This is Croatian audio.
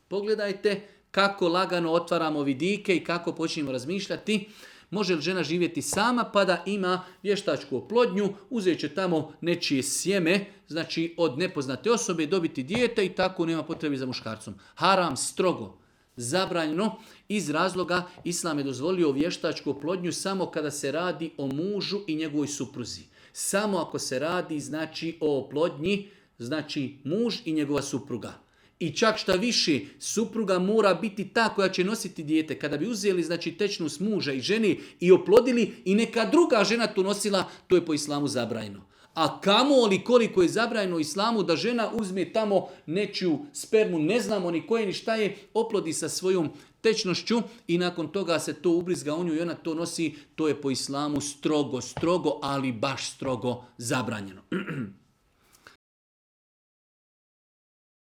Pogledajte kako lagano otvaramo vidike i kako počinjemo razmišljati. Može li žena živjeti sama pa da ima vještačku oplodnju, uzet će tamo nečije sjeme, znači od nepoznate osobe dobiti dijete i tako nema potrebe za muškarcom. Haram, strogo, zabranjeno. Iz razloga Islam je dozvolio vještačku oplodnju samo kada se radi o mužu i njegovoj supruzi. Samo ako se radi znači o oplodnji, znači muž i njegova supruga. I čak šta više, supruga mora biti ta koja će nositi dijete. Kada bi uzeli znači tečnost muža i ženi i oplodili i neka druga žena tu nosila, to je po islamu zabranjeno. A kamoli koliko je zabranjeno u islamu da žena uzme tamo nečiju spermu, ne znamo ni koje ni šta je, oplodi sa svojom tečnošću i nakon toga se to ubrizga u nju i ona to nosi, to je po islamu strogo, ali baš strogo zabranjeno.